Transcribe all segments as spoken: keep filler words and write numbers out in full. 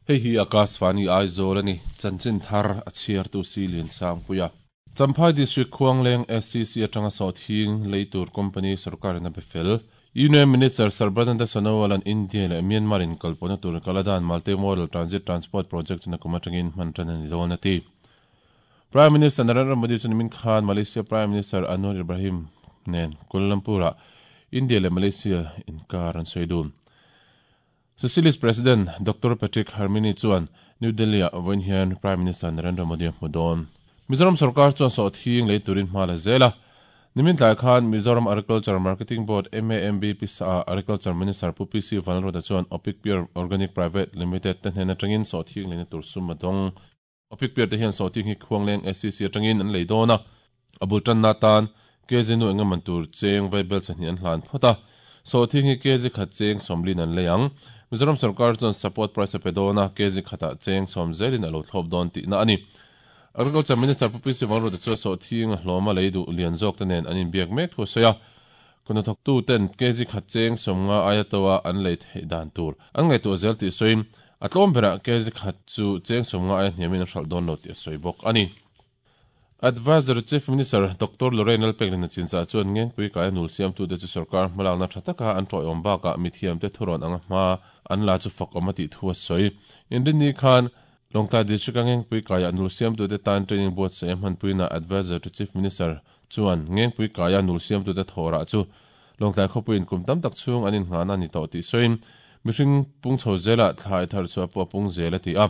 Hei hi Akashvani Aizawl ani chanchin thar a chhiar tu si lian sang puia. Champhai District Khuangleng S C C atanga sawhthing leitur company sarkar in a befel. Union Minister Sarbananda Sonowal an India leh Myanmar in kalpawhna tur Kaladan Multimodal Transit Transport Project chuna kum atangin hman tan ani dawn a ti. Prime Minister Narendra Modi chu nimin khan Malaysia Prime Minister Anwar Ibrahim nen Kuala Lumpur-ah India leh Malaysia inkar an sawi dun. Socialist President Doctor Patrick Herminie chuan New Delhi-ah vawiin hian Prime Minister Narendra Modi a hmu dawn. Mizoram sarkar chuan sawhthing lei turin hma la zel a. Nimin tlai khan Mizoram Agriculture Marketing Board M A M B P S A Agriculture Minister Pu P C Vanlalruata chuan Opic Pure Organic Private Limited te hnen atangin sawhthing leina tur sum a dawng. Opic Pure te hian sawhthing hi Khuangleng S C C atangin an lei dawn a. A bul tanna tan K Z nu engaman tur cheng vaibel chahnih an hlan phawt a. Sawhthing hi K Z khat cheng sawmlin an lei ang. Mizoram sarkar chuan support price a pe dawn a, K Z khatah cheng sawm zelin a lo thlawp dawn tihna a ni. Agriculture Minister Pu P C Vanlalruata chuan sawhthing a hlawm a lei duh lian zawk te nen an inbiak mek thu a sawi a. Kuna thawktu ten K Z khat cheng sawmnga aia tawa an lei theih dan tur an ngaihtuah zel tih sawiin a tlawm berah K Z khat chu cheng sawmnga aia hniamin an hralh dawn lo tih a sawi bawk a ni. Advisor Chief Minister Doctor Lorraine Lalpeklin a chinchah chuan ngengpui kai a nul siamtute chu sarkar hmalakna tha taka an tawih awm bakah mithiamte thurawn anga hma an la chu fak awm a tih thu a sawi. Inrinni khan Lawngtlai District a ngengpui kai a nul siamtute tan training buatsaih a hmanpuina Advisor to Chief Minister chuan ngengpui kai a nul siamtute thawrah chu Lawngtlai khawpuiin kum tam tak chhung an inngahna ni tawh tih sawiin mihring pung chho zela thlai thar chu a pawh a pung zel a ti a.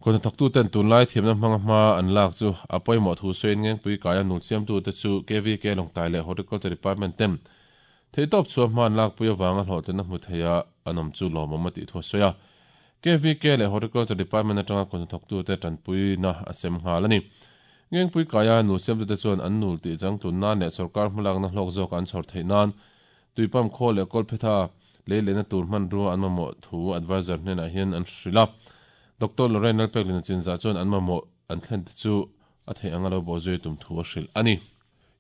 Kawhna thawktu ten tunlai thiamna hmanga hma an lak chu a pawimawh thu sawiin ngengpui kai a nul siamtute chu K V K Lawngtlai leh Horticulture Department ten theitawp chu a hma an lakpui avanga hlawhtlin a hmu thei a an awm chu lawmawm a tih thu a sawi a. K V K leh Horticulture Department atanga kawhna thawktute tanpuina a sem nghal a ni. Ngengpui kai a nul siamtute chuan an nul tih chang tun nan leh sarkar hmalakna hlawk zawk an chhawr theih nan tuipam khaw leh kawlphetha lei lehna tur hman rua an mamawh thu advisor hnenah hian an hrilh a. Doctor Lorraine Lalpeklin a chinzah chuan an mamawh an thlen te chu a theih anga lo bawh zui tum thu a hrilh a ni.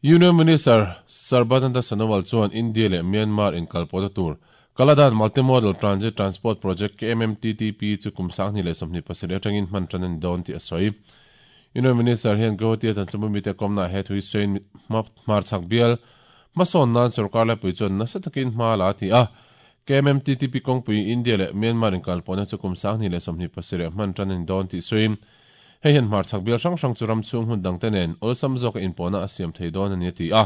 Union Minister Sarbananda Sonowal chuan India leh Myanmar inkalpawhna tur Kaladan Multimodal Transit Transport Project K M M T T P chu kum sanghnih leh sawmhnih pasarih atangin hman tan a ni dawn tih a sawi. Union Minister hian Guwahati a chanchinbu mite kawmna he thui sawiin hmar chhak bial hmasawn nan sarkar laipui chuan nasa takin hma la a ti a. K M M T T P kawngpui India leh Myanmar inkalpawhna chu kum sanghnih leh sawmhnih pasarih hman tan a ni dawn tih sawiin hei hian hmar chhak bial hrang hrang chu ram chhung hun dang te nen awlsam zawk a inpawhna a siam thei dawn a ni a ti a.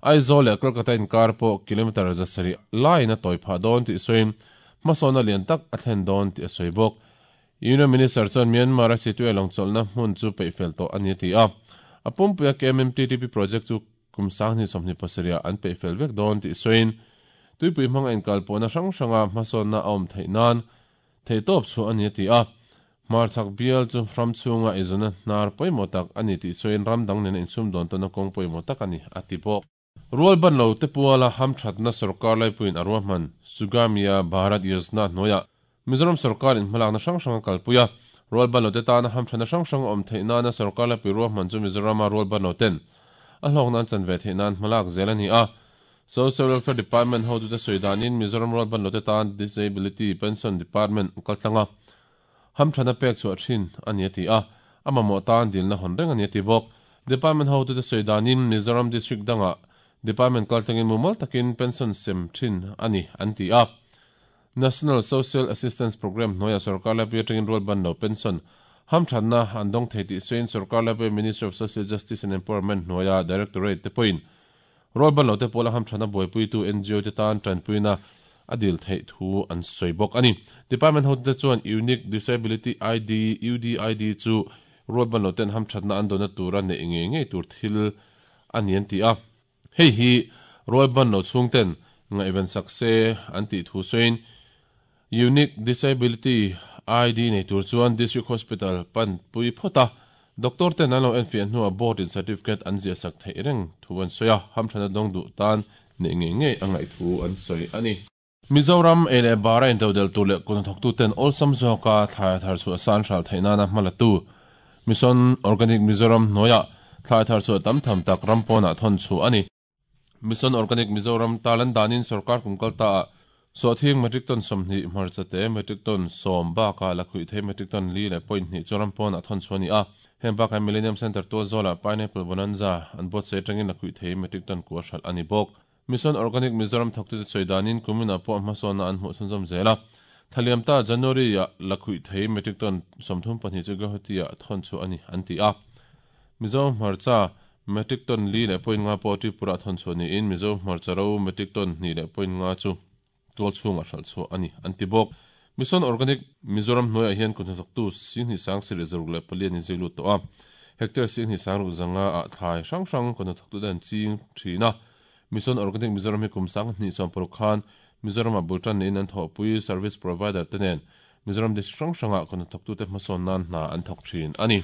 Aizawl leh Kolkata inkar pawh kilometer zasarih laiin a tawi phah dawn tih sawiin hmasawn a lian tak a thlen dawn tih a sawi bawk. Union Minister chuan Myanmar a situ lawng chawlhna hmun chu peihfel tawh a ni a ti a. A pumpuia K M M T T P project chu kum sanghnih sawmhnih pasarih an peihfel vek dawn tih sawiin tuipui hmanga inkalpawhna hrang hranga hmasawnna a awm theih nan theitawp chu a ni a ti a. Hmar chhak bial chu ram chhunga eizawnna hnar pawimawh tak a ni tih sawiin ram dang nena insum dawn tawhna kawng pawimawh tak a ni a ti bawk. Rual ban lo te puala hamthatna sarkar laipuiin a ruahman Sugamya Bharat Yojana hnuaiah Mizoram sarkar in hmalakna hrang hrang a kalpui a. Rual ban lo te tana hamthatna hrang hrang a awm theih nana sarkar laipui ruahman chu Mizorama rual ban lo ten a hlawk nan chan ve theih nan hmalak zel a ni a. Social Welfare Department hotute sawi danin Mizoram rual ban lo te tan Disability Pension Department kaltlanga hamthana pek chu a thin a ni a ti a. A mamawh tan dilna hawn reng a ni a ti bawk. Department hotute sawi danin Mizoram District danga Department kaltlangin mumal takin pension sem thin a ni an ti a. National Social Assistance Program hnuaiah sarkar laipui atangin rual ban lo pension hamthatna an dawng thei tih sawiin sarkar laipui Ministry of Social Justice and Empowerment hnuaiah Directorate te pawhin rual ban lo te pawla hamthana buaipuitu N G O te tan tanpuina a dil theih thu an sawi bawk a ni. Department hotute chuan Unique Disability I D U D I D chu rual ban lo ten hamthatna an dawna tura neih nge ngei tur thil a ni an ti a. Hei hi rual ban lo chhung ten ngaihven sak se an tih thu sawiin Unique Disability I D nei tur chuan District Hospital pan pui phawt a. Doctor ten an lo enfiah hnuah board in certificate an ziah sak theih reng thu an sawi a. Hamthana dawng duh tan neih nge ngei a ngaih thu an sawi a ni. Mizoram ei leh bara intodel tur leh kawhna thawktu ten awlsam zawka thlai thar chu a san hral theih nana hmalatu Mission Organic Mizoram hnuaiah thlai thar chu a tam tham tak ram pawnah thawn chu a ni. Mission Organic Mizoram talan danin sarkar kum kalta a Sawhthing metric ton sawmhnih hmarcha te metric ton sawm bakah lakhuih thei metric ton li leh point hnih chu ram pawnah thawn chhuah a ni a. Heng bakah Millennium Centre tualzawlah Pineapple Bonanza an buatsaih atangin lakhuih thei metric ton kua hralh a ni bawk. Mission Organic Mizoram thawktute sawi danin kuminah pawh hmasawnna an hmuh chhunzawm zel a. Thaliam ta January-ah lakhuih thei metric ton sawmthum pahnih chu Guwahati-ah thawn chhuah a ni an ti a. Mizo hmarcha metric ton li leh point nga pawh Tripura thawn chhuah niin Mizo hmarcha ro metric ton hnih leh point nga chu tual chhungah hralh chhuah a ni an ti bawk. Mission Organic Mizoram hnuaiah hian kut hnathawktu Singhnih sang sarih zaruk leh pali an inzui lut tawh a. Hectare Singhnih sang ruk zanga ah thlai hrang hrang kut hnathawktute an ching thin a. Mission Organic Mizoram hi kum sang hnih sawm paruk khan Mizoramah bul tan niin an thawhpui service provider te nen Mizoram district hrang hrangah kut hnathawktute hmasawn nan hna an thawk thin a ni.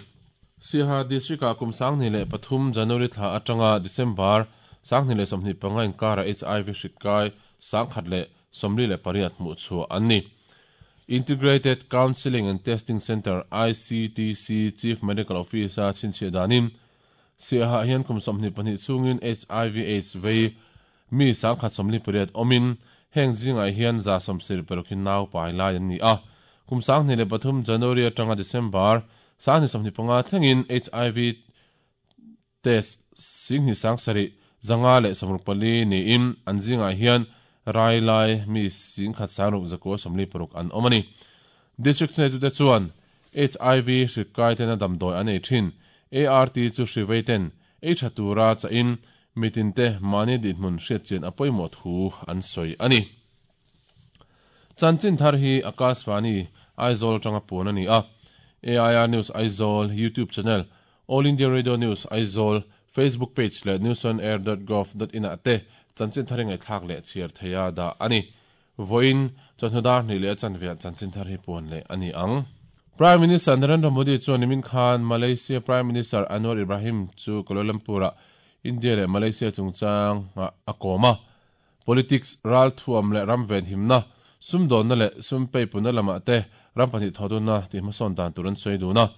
Siaha district-ah kum sanghnih leh pathum January thla atanga December sanghnih leh sawmhnih panga inkarah H I V hrik kai sangkhat leh sawmli leh pariat hmuh chhuah an ni. Integrated Counselling and Testing Centre, I C T C, Chief Medical Officer chhinchhiah danin Siaha hian kum sawmhnih pahnih chungin H I V AIDS vei mi sangkhat sawmli pariat awmin heng zingah hian za sawmsir parukhin nau pai lai an ni a. Kum sanghnih leh pathum January atanga December sanghnih sawmhnih panga thlengin H I V test singhnih sang sarih zanga leh sawmruk pali niin an zingah hian rai lai mi singkhat sangruk zakua sawmli paruk an awm a ni. District hnaitute chuan H I V hrik kai ten a damdawi an ei thin. A R T chu hrivei ten ei tha tura chahin mitin te mahni dinhmun hriatchian a pawimawh thu an sawi a ni. Chanchin thar hi Akashvani Aizawl atanga puan a ni a. A I R News Aizawl YouTube channel, All India Radio News Aizawl Facebook page leh newsonair dot gov dot in ah te chanchin thar hi ngaihthlak leh chhiar theia dah a ni. Vawiin chawhnu dar hnih leh a chanveah chanchin thar hi puan leh a ni ang. Prime Minister Narendra Modi chuan nimin khan Malaysia Prime Minister Anwar Ibrahim chu Kuala Lumpur-ah India leh Malaysia chungchang a kawm a. Politics ral thuam leh ram ven himna, sumdawnna leh sumpei puna lamah te ram pahnih thawdunna tih hmasawn dan tur an sawi dun a.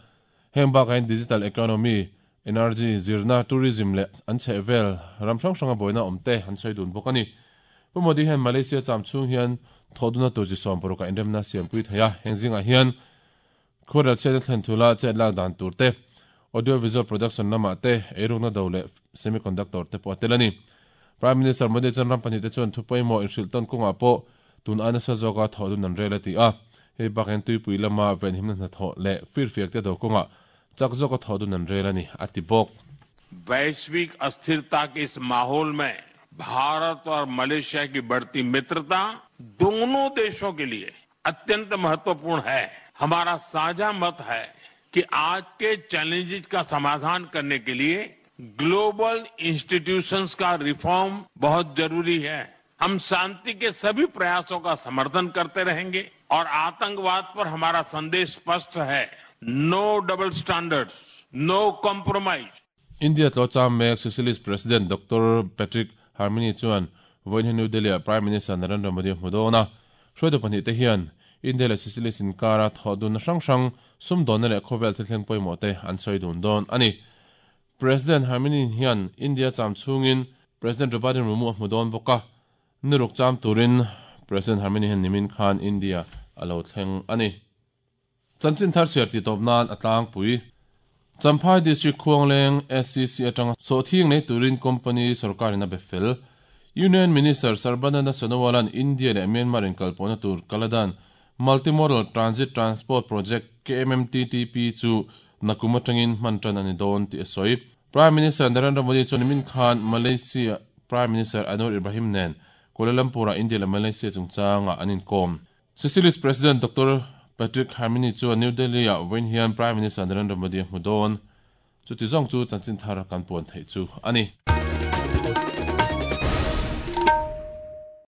Heng bakah hian digital economy, energy, zirna, tourism leh an chheh vel ram hrang hranga buaina awm te an sawi dun bawk a ni. Pu Modi hian Malaysia cham chhung hian thawdunna tur chi sawm parukah inremna siampui thei a. Heng zingah hian khuarel chet a thlen thula chet lak dan tur te, audio visual production lamah te, eirukna do leh semiconductor te pawh a tel a ni. Prime Minister Modi chuan ram pahnih te chuan thu pawimawh inhrilh tawn kawngah pawh tun aina sa zawka thawhdun an rel a ti a. Hei bakah hian tuipui lama venhimna hnathawh leh firfiak te do kawngah chak zawka thawhdun an rel a ni a ti bawk. वैश्विक अस्थिरता के इस माहौल में भारत और Malaysia की बढ़ती मित्रता दोनों देशों के लिए अत्यंत महत्वपूर्ण है। हमारा साझा मत है कि आज के चैलेंजेस का समाधान करने के लिए ग्लोबल इंस्टीट्यूशंस का रिफॉर्म बहुत जरूरी है। हम शांति के सभी प्रयासों का समर्थन करते रहेंगे और आतंकवाद पर हमारा संदेश स्पष्ट है, no double standards, no compromise. India tlo cham mek Socialist President Doctor Patrick Herminie chuan vawiin hi New Delhi ah Prime Minister Narendra Modi a hmu dawn a. Hruaitu pahnih te hian India leh Socialist inkara thawhdunna hrang hrang sumdawnna leh khawvel thilthleng pawimawh te an sawi dun dawn a ni. President Herminie hian India cham chungin President Draupadi Murmu a hmu dawn bawk a. Niruk cham turin President Herminie hian nimin khan India a lo thleng a ni. Chanchin thar chhiar ti tawp nan a tlangpui. Champhai District Khuangleng S C C atanga Sawhthing nei turin company sarkarin a be fel. Union Minister Sarbananda Sonowalan India leh Myanmar in kalpawhna tur Kaladan Multimodal Transit Transport Project K M M T T P chu nakum atangin hman tan ani dawn ti a sawi. Prime Minister Narendra Modi chuan nimin khan Malaysia Prime Minister Anwar Ibrahim nen Kuala Lumpur-ah India leh Malaysia chungchanga an inkawm. Socialist President Doctor Patrick Herminie chuan New Delhi-ah vawiin hian Prime Minister Narendra Modi a hmu dawn. Chuti zawng chu chanchin thar kan puan theih chu a ni.